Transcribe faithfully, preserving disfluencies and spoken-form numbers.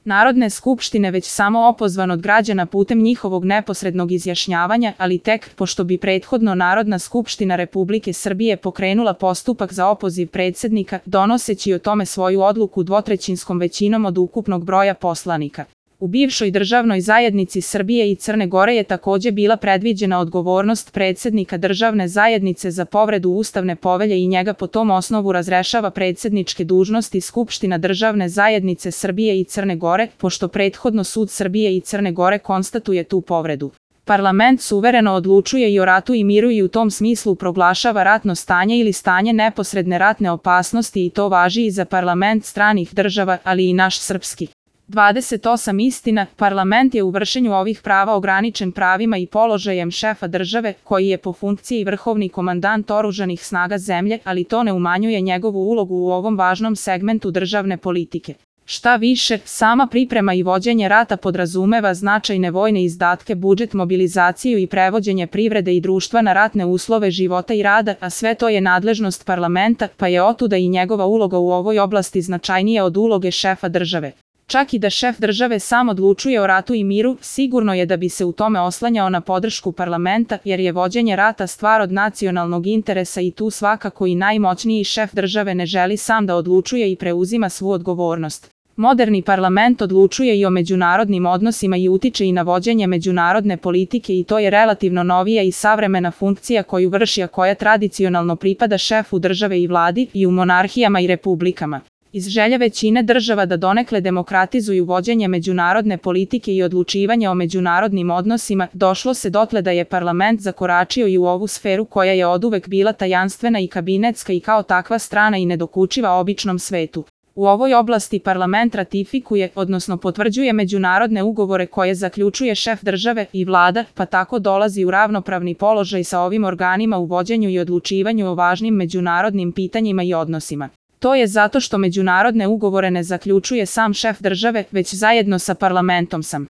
Narodne skupštine već samo opozvan od građana putem njihovog neposrednog izjašnjavanja, ali tek pošto bi prethodno Narodna skupština Republike Srbije pokrenula postupak za opoziv predsednika, donoseći o tome svoju odluku dvotrećinskom većinom od ukupnog broja poslanika. U bivšoj državnoj zajednici Srbije i Crne Gore je takođe bila predviđena odgovornost predsednika državne zajednice za povredu ustavne povelje i njega po tom osnovu razrešava predsedničke dužnosti Skupština državne zajednice Srbije i Crne Gore, pošto prethodno sud Srbije i Crne Gore konstatuje tu povredu. Parlament suvereno odlučuje i o ratu i miru i u tom smislu proglašava ratno stanje ili stanje neposredne ratne opasnosti i to važi i za parlament stranih država, ali i naš srpski. dvadeset osam Istina, parlament je u vršenju ovih prava ograničen pravima i položajem šefa države, koji je po funkciji vrhovni komandant oružanih snaga zemlje, ali to ne umanjuje njegovu ulogu u ovom važnom segmentu državne politike. Šta više, sama priprema i vođenje rata podrazumeva značajne vojne izdatke, budžet, mobilizaciju i prevođenje privrede i društva na ratne uslove života i rada, a sve to je nadležnost parlamenta, pa je otuda i njegova uloga u ovoj oblasti značajnija od uloge šefa države. Čak i da šef države sam odlučuje o ratu i miru, sigurno je da bi se u tome oslanjao na podršku parlamenta, jer je vođenje rata stvar od nacionalnog interesa i tu svakako i najmoćniji šef države ne želi sam da odlučuje i preuzima svu odgovornost. Moderni parlament odlučuje i o međunarodnim odnosima i utiče i na vođenje međunarodne politike i to je relativno novija i savremena funkcija koju vrši, a koja tradicionalno pripada šefu države i vladi i u monarhijama i republikama. Iz želje većine država da donekle demokratizuju vođenje međunarodne politike i odlučivanje o međunarodnim odnosima, došlo se dotle da je parlament zakoračio i u ovu sferu koja je oduvek bila tajanstvena i kabinetska i kao takva strana i nedokučiva običnom svetu. U ovoj oblasti parlament ratifikuje, odnosno potvrđuje međunarodne ugovore koje zaključuje šef države i vlada, pa tako dolazi u ravnopravni položaj sa ovim organima u vođenju i odlučivanju o važnim međunarodnim pitanjima i odnosima. To je zato što međunarodne ugovore ne zaključuje sam šef države, već zajedno sa parlamentom sam.